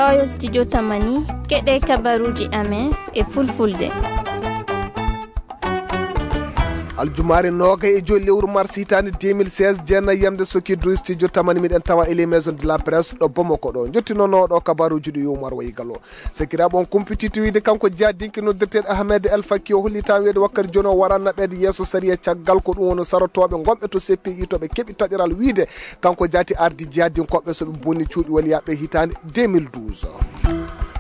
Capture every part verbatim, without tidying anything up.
Oyo studio Tamani, keɗe kabaruji amen e fulfulde. Aljumaare noogay e joyi lewru mars hitaande deux mille seize, jeenay yamde sokirdu studio Tamani, miɗen tawa e les maisons de la presse ɗo Bamako ɗo. Jottinono ɗo kabaruji ɗi Umar Wayi Gallo. Sakiraaɓe, on kumpitiiɗo wiyde kanko jaadinke noddirteeɗo Ahmed El Fakki o hollitaa wiyde wakkati jooni o waran naɓeede yeeso sariya caggal ko ɗum woni sarotooɓe gonɓe to C P I to ɓe keɓi taƴoral wiyde kanko jaati ardi jaadinkooɓe so ɓe bonni cuuɗi waliyaaɓe hitaande deux mille douze.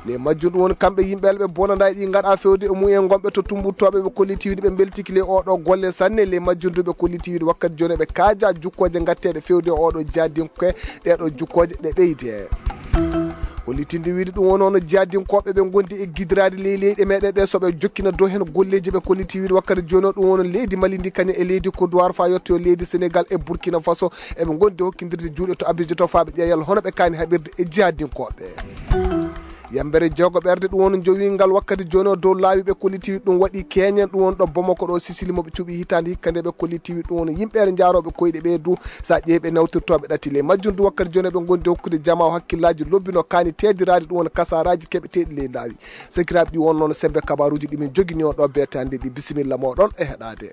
Les majjum ɗum woni kamɓe yimɓe ɓe bonanɗaa ɗi ngaɗa fewde e mumen gonɓe to tumbuttooɓe ɓe kolliti wiyde ɓe mbeltiki les oɗo golle sanne. Les majjum du ɓe kolliti wiyde wakkati jooni ɓe kaaja jukkooje ngatteeɗe fewde e oɗo jaadinke ɗeeɗo jukkooje ɗe ɓeyde. Hollitinde wiyde ɗum woni hono jaadinkooɓe ɓe ngondi e gidiraade ley leyɗe meɗen ɗe so ɓe jokkina dow heen golleeji ɓe kolliti wiyde wakkati jooni o ɗum woni leydi Mali ndi kañum e leydi Côte d'Ivoire faa yetto leydi Sénégal e Burkina Faso eɓe ngondi hokkindirde juuɗe to Abidjan to faa ɓe ƴeewa yalla hono ɓe kaani haɓirde e jaadinkooɓe. Yambere jeego ɓerde ɗum woni jowingal wakkati jooni o dow laawi ɓe kolliti wiyde ɗum waɗi keeñen ɗum woni ɗo Bamako ɗo Sisili mo ɓe cuɓi hitaande hikka nde ɓe kolliti wiyde ɗum woni yimɓe njaarooɓe koyɗe ɓe du. So a ƴeewi ɓe nawtirtooɓe ɗati ley majjum du wakkati jooni ɓe ngondi hokkude jamaa o hakkillaaji lobbi no kaani teediraade ɗum woni kasaaraaji keɓeteeɗi ley laawi. Sakiraaɓe ɗi won noon sembe kabaruuji ɗi min jogini on ɗo beetaande ɗi. Bisimilla mooɗon e heɗaade.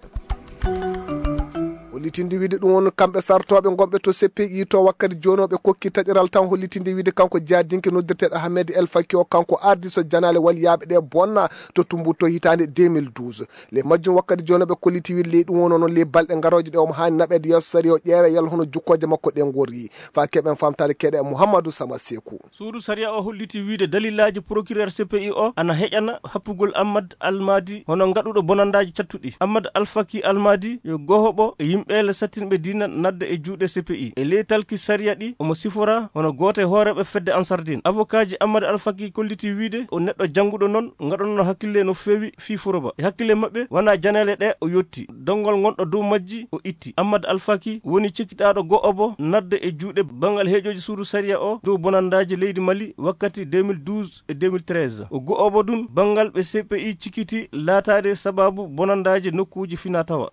Hollitinde wiyde ɗum won kamɓe sartooɓe gonɓe to C P I to wakkati jooni o ɓe kokki taƴoral tan hollitinde wiyde kanko jaadinke noddirteeɗo Ahmed El Fakki o kanko ardi so janaale waliyaaɓe ɗe bonna to Tumbutu to hitaande deux mille douze. Les majjum wakkati jooni o ɓe kolliti wiyde ley ɗum won noon les balɗe garooje ɗe omo haani naɓeede yeeso sariya o ƴeewa yalla hono jukkooje makko ɗe ngorri. Faa keɓen faamtaade keɗe Mouhamadou Sama Seku. Suudu sariya o holliti wiyde dalilaaji procureur C P I o ana heƴana happugol Ahmad Almadi hono ngaɗuɗo bonandaaji cattuɗi. Ahmad Alfaki Almadi yo gohoɓo e yimɓeele sattinɓe diina nadde e juuɗe C P I. E ley talki sariya ɗi omo sifora hono gooto e hooreeɓe fedde Ansardin. Avokaaji Ahmad Alfaki kolliti wiyde o neɗɗo jannguɗo noon ngaɗanno hakkille no feewi fii Furoba. E hakkille maɓɓe wona janaale ɗe o yotti. Donngol ngonɗo dow majji o itti. Ahmad Alfaki woni cikkiɗaaɗo go'obo nadde e juuɗe banngal heejooji suudu sariya o dow bonandaaji leydi Mali wakkati deux mille douze e deux mille treize. O go'obo ɗum banngal ɓe C P I cikkiti laataade sabaabu bonandaaji nokkuuji finaa tawa.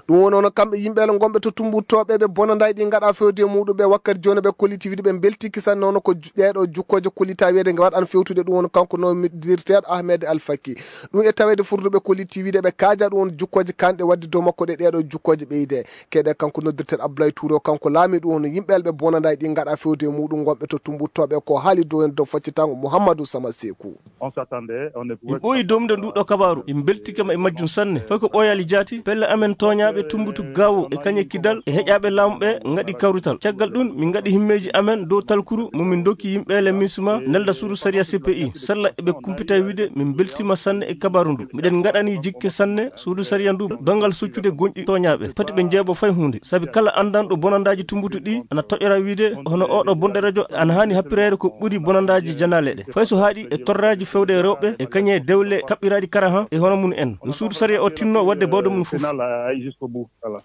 Ɗum woni hono kamɓe yimɓe ele ngonɓe to Tumbutu to ɓe ɓe bonandaaji ɗi ngaɗa fewde e muɗum ɓe wakkati jooni ɓe kolliti wiyde ɓe mbeltiki sanne hono ko ju-, ɗeeɗo jukkooje kollita wiyde nge waɗan fewtude ɗum woni kanko noddirteeɗo Ahmed Alfaki. Ɗum e taweede furduɓe kolliti wiyde ɓe kaaja ɗum woni jukkooje kanɗe waɗde dow makko ɗe ɗeeɗo jukkooje ɓeyde. Keɗe kanko noddirteeɗo Abdoulaye Touré o kanko laami ɗum woni yimɓe ele ɓe bonandaaji ɗi ngaɗa fewde e muɗum ngonɓe to Tumbutu to ɓe ko haali dow heen dow faccitango Mouhamadou Sama Seku. On s'attendait, on ne pouvait Min ɓooyi domde nduɗo kabaru. Min mbeltike ma e majjum sanne. Fay ko ɓooyali jaati, pelle amen tooñaaɓe Tumbutu Gaawo e kañe Kidal e heƴaaɓe laamu ɓe ngaɗi kawrital. Caggal ɗum, min ngaɗi himmeeji amen dow talkuru mo min ndokki yimɓe ele Minsima nelda suudu sariya C P I. Sella eɓe kumpita wiyde min mbeltima sanne e kabaru ndu. Miɗen ngaɗani jikke sanne suudu sariya ndu banngal soccude gonɗi tooñaaɓe. Pati ɓe njeebo fay huunde. Sabi kala anndanɗo bonandaaji Tumbutu ɗi ana toƴora wiyde hono oɗo bonɗo rajo ana haani happireede ko ɓuri bonandaaji janaale ɗe. Fay so haaɗi e torraaji fewde e rewɓe e kañe dewle kaɓɓiraaɗi karahan e hono mum en. No suudu sariya o tinno waɗde bawɗe mum fof. Final, euh, jusqu'au bout. Voilà.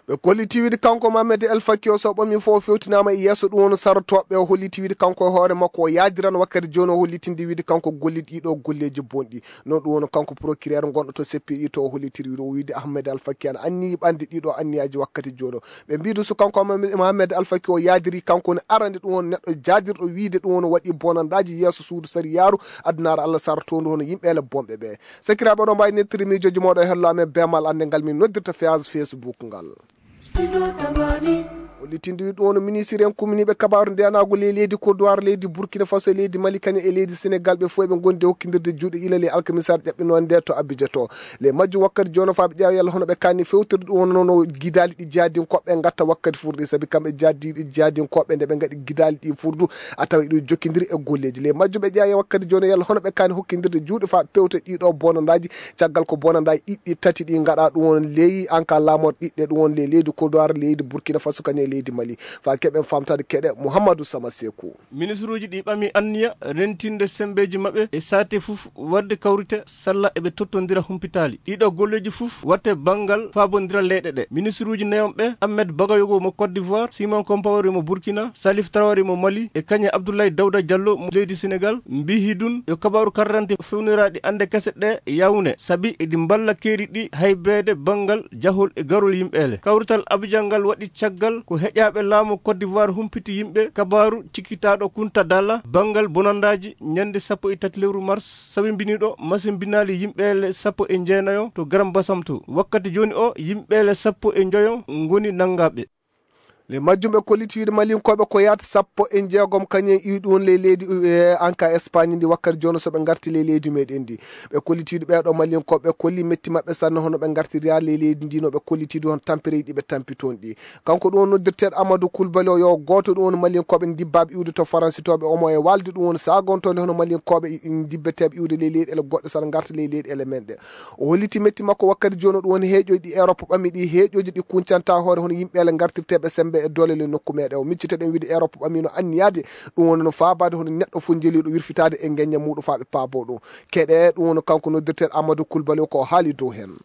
Ɓe kolliti wiyde kanko Mohamed El Fakki o so ɓami fof fewtinaama e yeeso ɗum woni sarotooɓe o holliti wiyde kanko e hoore makko o yaadiran wakkati jooni o hollitinde wiyde kanko golli ɗiɗo golleeji bonɗi. Noon ɗum woni kanko procureur gonɗo to C P I to o hollitiri wiyde o wiyde Ahmed El Fakki ana anniyi ɓande ɗiɗo anniyaaji wakkati jooni o. Ɓe mbiidu so kanko Mohamed, Mohamed El Fakki o yaadiri kanko woni arande ɗum woni neɗɗo jaadirɗo wiyde ɗum woni waɗi bonandaaji yeeso suudu sariyaaru addunaare Allah sartoondu hono yimɓe ele bonɓe ɓe. Sakiraaɓe oɗon mbaawi nettude miijooji mooɗon e hello amen beemal annde ngal min noddirta feyaas Facebook ngal. Hollitinde ɗum woni ministre en kumminiiɓe kabaaru ndeyanaagu ley leydi Kodowar, leydi Burkina Faso, leydi Mali, kañum e leydi Senegal, ɓe fof eɓe ngondi e hokkindirde juuɗe ilal e alkamisaare ƴaɓɓinoonde nde to Abidjan to. Ley majjum wakkati jooni faa ɓe ƴeewa yalla hono ɓe kaani fewtude ɗum woni no gidaali ɗi jaadinkooɓe ngatta wakkati furɗi, sabi kamɓe jaadi-, jaadinkooɓe nde ɓe ngaɗi gidaali ɗi furdu, a tawa iɗum jokkindiri e golleeji. Ley majjum ɓe ƴeewa wakkati jooni yalla hono ɓe kaani hokkindirde juuɗe faa pewta ɗiɗo bonandaaji, caggal ko bonandaaji ɗiɗɗi tati ɗi ngaɗa ɗum woni ley anka laamor ɗiɗɗe ɗum woni ley leydi Kodowar, leydi Burkina Faso, kañum e leydi Mali. Faa keɓen faamtaade keɗe Mouhamadou Sama Seku. Ministruuji ɗi ɓami anniya rentinde semmbeeji maɓɓe e saate fof waɗde kawrite salla eɓe tottondira humpitaali. Ɗiɗo golleeji fof waɗte banngal faabondira leyɗe ɗe. Ministruuji neyonɓe Ahmed Bagayogo mo Côte d'Ivoire, Simon Compaoré mo Burkina, Salif Traoré mo Mali e kañe Abdoulaye Daouda Diallo mo leydi Senegal mbiyi ɗum yo kabaaru karrante fewniraaɗi annde kese ɗe yawne sabi eɗi mballa keeri ɗi haybeede banngal jahol e garol yimɓeele. Kawrital Abidjan ngal waɗi caggal ko Heƴaaɓe laamu Côte d'Ivoire humpiti yimɓe kabaaru cikkitaaɗo Kunta Dalla banngal bonandaaji ñande sappo e tati lewru mars, sabimbiniiɗo masimbinaali yimɓeele sappo e jeenayo to Garam Basam to. Wakkati jooni o, yimɓeele sappo e njoyo ngoni nanngaaɓe. Le majjum ɓe kolliti wiide Malinkooɓe ko yaata sappo e jeegom kañum en iwi ɗum ley leydi, eh, anka Espagne ndi wakkati jooni so ɓe ngarti ley leydi meɗen ndi. Ɓe kolliti wiide ɓeeɗo Malinkooɓe ɓe kolli metti maɓɓe sanne hono ɓe ngartiri haa ley leydi ndi no ɓe kolliti ɗum hono tampere ɗi ɓe tampi toon ɗi. Kanko ɗum woni noddirteeɗo Amadou Koulibaly o, yo gooto ɗum woni Malinkooɓe ndibbaaɓe iwde to Faransitooɓe omo e waalde ɗum woni saagontoonde hono Malinkooɓe i-, i-, ndibbeteeɓe iwde ley leyɗeele goɗɗe sana ngarta ley leyɗeele men ɗe. O holliti metti makko wakkati jooni o ɗum woni heeƴoji ɗi Europe ɓami ɗi, heeƴoji ɗi kuncanta hoore hono yimɓeele ngartirteeɓe sembe e doole le nokku meɗen. O miccita ɗen wiide Europe ɓami no anniyaade ɗum woni no faabaade hono neɗɗo fof jeliiɗo wirfitaade e ngeñña muuɗum faa ɓe paabo ɗum. Keɗe ɗum woni kanko noddirteeɗo Amadou Koulibaly ko o haali dow heen.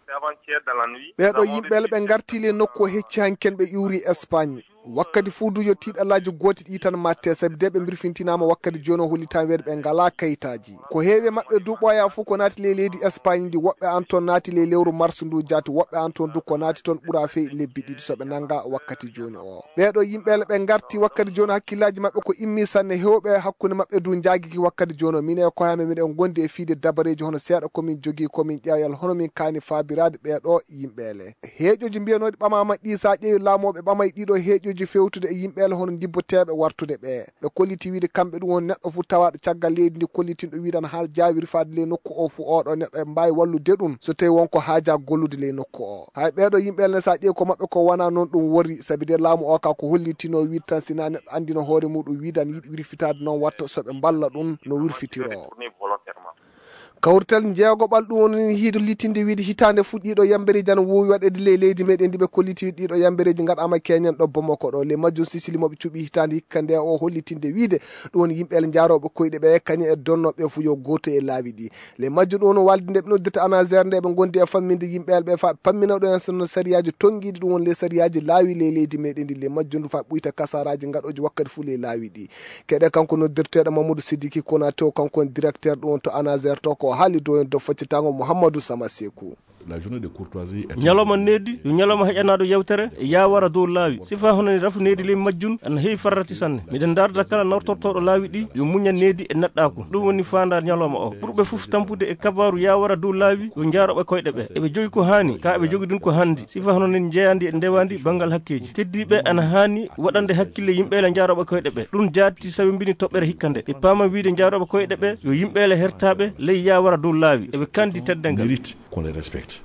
Ɓeeɗo yimɓeele ɓe ngarti le nokku o hecci hanken ɓe iwri Espagne. Wakkati fuu du yo tiiɗalaaji gooti ɗi tan matte, sabi de ɓe mbirfintinaama wakkati jooni o hollitan weedu ɓe ngalaa kayitaaji. Ko heewi e maɓɓe du ɓooya fuu ko naati ley leydi Espagne ndi, woɓɓe an toon naati ley lewru mars ndu jaati, woɓɓe an toon du ko naati toon ɓura fey lebbi ɗiɗi so ɓe nannga wakkati jooni o. Ɓeeɗo yimɓeele ɓe ngarti wakkati jooni hakkillaaji maɓɓe ko immi sanne, heewɓe hakkunde maɓɓe du njaagiki wakkati jooni o. Min e koye amen miɗen ngondi e fiide dabareeji hono seeɗa ko min jogii ko min ƴeewal hono min kaani faabiraade ɓeeɗo yimɓeele. Heeƴoji mbiyanooɗi ɓamaama ɗi, so a ƴeewi laamooɓe ɓamay ɗiɗo heeƴoji fewtude e yimɓeele hono ndibboteeɓe wartude ɓe. Ɓe kolliti wiide kamɓe ɗum woni neɗɗo fof tawaaɗo caggal leydi ndi kollitinɗo wiide ana haa jaawiri faade ley nokku o fof oɗo neɗɗo e mbaawi wallude ɗum so tawi won ko haaja gollude ley nokku o. Hay ɓeeɗo yimɓeele ne so a ƴeewi ko maɓɓe ko wona noon ɗum wori, sabi de laamu o ka ko hollitino wiide tan sina neɗɗo anndino hoore muɗum wiide ana yiɗi wirfitaade noon watta so ɓe mballa ɗum no wirfitiro. Kawrital jeegoɓal ɗum woni hiido litinde wiide hitaande fuɗɗiiɗo yambereeji ana woowi waɗeede ley leydi meɗen ndi ɓe kolliti ɗiɗo yambereeji ngaɗaama keñen ɗo Bamako ɗo. Le majjum Sisili mo ɓe cuɓi hitaande hikka nde o hollitinde wiide ɗum woni yimɓe ele njaarooɓe koyɗe ɓe kañum e donnooɓe fof yo gooto e laawi ɗi. Le majjum ɗum woni waalde nde ɓe noddirta ANASER nde ɓe ngondi e famminde yimɓe ele ɓe fa pammina ɗo en sonno sariyaaji tonngiiɗi ɗum woni le sariyaaji laawi ley leydi meɗen ndi. Le majjum ndu fa ɓuyta kasaraaji ngaɗooji wakkati fof ley laawi ɗi. Keɗe kanko noddirteeɗo Mamadou Sidiki Konaté o, kanko woni directeur ɗum to ANASER to, ko haali dow en dow faccitango Mouhamadou Sama Sekou. La journée de courtoisie est ñalawma needi yo ñalawma heƴanaaɗo yewtere e yawara dow laawi sifa hono ni rafu needi ley majjum ana heewi farrati sanne. Miɗen ndaarda kala nawtortooɗo laawi ɗi yo muña needi e neɗɗaaku. Ɗum woni faandaare ñalawma o. Ɓurɓe fof tampude e kabaaru yawara dow laawi yo njaarooɓe koyɗe ɓe. Eɓe jogi ko haani ka eɓe jogi ɗum ko hanndi sifa hono ni njeeyandi e ndewaandi banngal hakkeeji. Keddiiɓe ana haani waɗande hakkille yimɓe ele njaarooɓe koyɗe ɓe. Ɗum jaati sawimbini toɓɓere hikka nde ɓe paama wiide njaarooɓe koyɗe ɓe yo yimɓe ele hertaaɓe ley yawara dow laawi eɓe kandi teddengal. Mérite qu'on les respecte.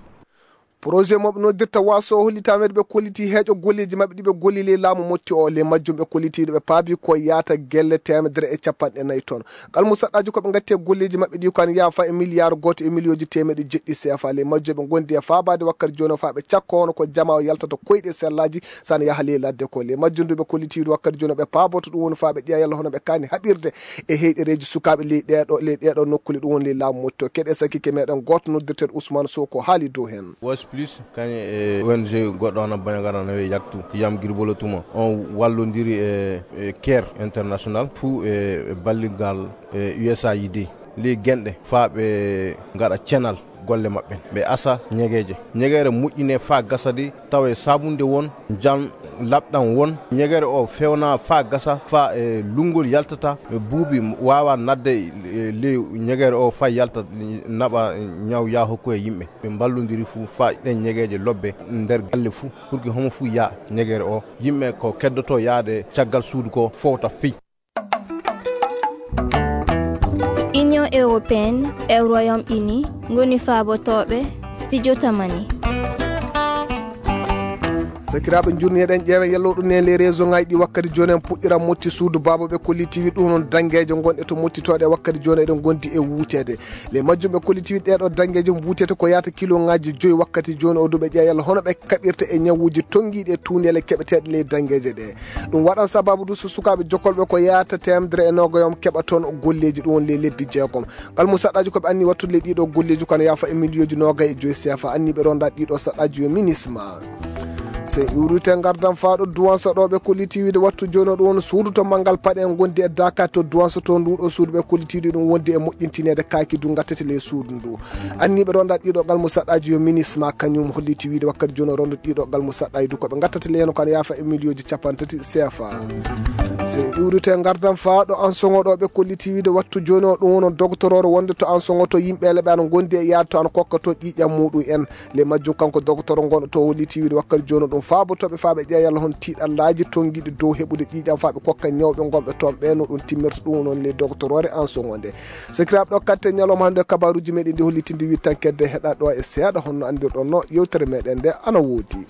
Projet mo ɓe noddirta waaso o hollitaa weedu ɓe kolliti heeƴo golleeji maɓɓe ɗi ɓe golli ley laamu motti o. Ley majjum ɓe kollitiiɗo ɓe paabi ko yaata gelle teemedere e capanɗe nayi toon. Kalmu saɗɗaaji ko ɓe ngatti e golleeji maɓɓe ɗi ko an yaafa e miliyaar gooto e miliyooji teemeɗe jeɗɗi C F A. Ley majjum ɓe ngondi e faabaade wakkati jooni o faa ɓe cakko hono ko jama o yaltata koyɗe sellaaji sana yaha ley ladde ko. Ley majjum du ɓe kollitiiɗo wakkati jooni o ɓe paaboto ɗum woni faa ɓe ƴeewa yalla hono ɓe kaani haɓirde e heyɗereeji sukaaɓe ley ɗeeɗo ley ɗeeɗo nokkule ɗum woni ley laamu motti o. Keɗe sakike meɗen gooto noddirteeɗo Ousmane Sow ko haali dow heen. Wos plus kañum e O N G goɗɗo hono Bañagara no wiye Yaktu Yam Girbolo Tuma on wallondiri e, e care international fuu e, e balligal e U S A I D. Ley genɗe faa ɓe ngaɗa cenal golle maɓɓe ɓe asa ñegeeje. Ñegeere moƴƴine faa gasa de tawa e saabunde won, jam laɓɗam won. Ñegeere o fewna faa gasa faa e lunngol yaltata e buubi waawa nadde e ley ñegeere o faa yalta naɓa ñaw yaa hokku e yimɓe. Ɓe mballondiri fuu faa ɗen ñegeeje lobbe nder galle fuu pour que homo fuu yaa ñegeere o. Yimɓe ko keddoto yaade caggal suudu ko fowta fii. Union européenne e Royaume-Uni ngoni faabotooɓe studio Tamani. Sakiraaɓe njurni eɗen ƴeewen yallo ɗum ne les réseau ngaji ɗi wakkati jooni en puɗɗira motti suudu baaba ɓe kolliti wi ɗum noon dangeeje gonɗe to mottitooɗe wakkati jooni eɗen gondi e wuuteede. Les majjum ɓe kolliti wi ɗeeɗo dangeeje mbuutete ko yaata kilo ngaji joyi wakkati jooni o duɓe ƴeewa yalla hono ɓe kaɓirta e ñawuuji tonngiiɗi e tuundeele keɓeteeɗe ley dangeeje ɗe. Ɗum waɗan sababu du so sukaaɓe jokolɓe ko yaata teemedere e noogayom keɓa toon golleeji ɗum woni ley lebbi jeegom. Kalmu saɗɗaaji ko ɓe anni wattude ley ɗiɗo golleeji kono yaafa e miliyooji noogay e joyi C F A anni ɓe ronda ɗiɗo saɗɗaaji yo minisma. So en iwrite ngardan faaɗo duwansa ɗo ɓe kolliti wiide wattu jooni o ɗum won suudu to manngal paɗe en ngondi e Dakar to duwansa to nduɗo suudu ɓe kolliti ɗum wondi e moƴƴintineede kaaki du ngattete ley suudu ndu. Anniɓe ronda ɗiɗo gal mo saɗɗaji yo minis ma kañum holliti wiide wakkati jooni o ronda ɗiɗo gal mo saɗɗaji du ko ɓe ngattata ley heno kan yaafa e miliyooji capanɗe tati C F A. So en iwrite ngardan faaɗo an soŋo ɗo ɓe kolliti wiide wattu jooni o ɗum wono dogtoroore wonde to an soŋo to yimɓe leɓe ana ngondi e yaade to ana kokka to ƴiiƴam muɗum en. Le majjum kanko dogotoro ngon to holliti wiide wakkati jooni ɗum faabotoɓe faaɓe ƴeeya yalla hon tiiɗallaaji tongiɗi dow heɓude ƴiiƴam faaɓe kokka ñawɓe ngonɓe toon ɓe no ɗum timmirta ɗum noon le dogotoroore an soŋo nde. Sakiraaɓe ɗo katte ñalawma hannde kabaruuji meɗen ɗi hollitinde wittankedde heɗa ɗo e seeɗa honno anndirɗon no yewtere meɗen nde ana woodi.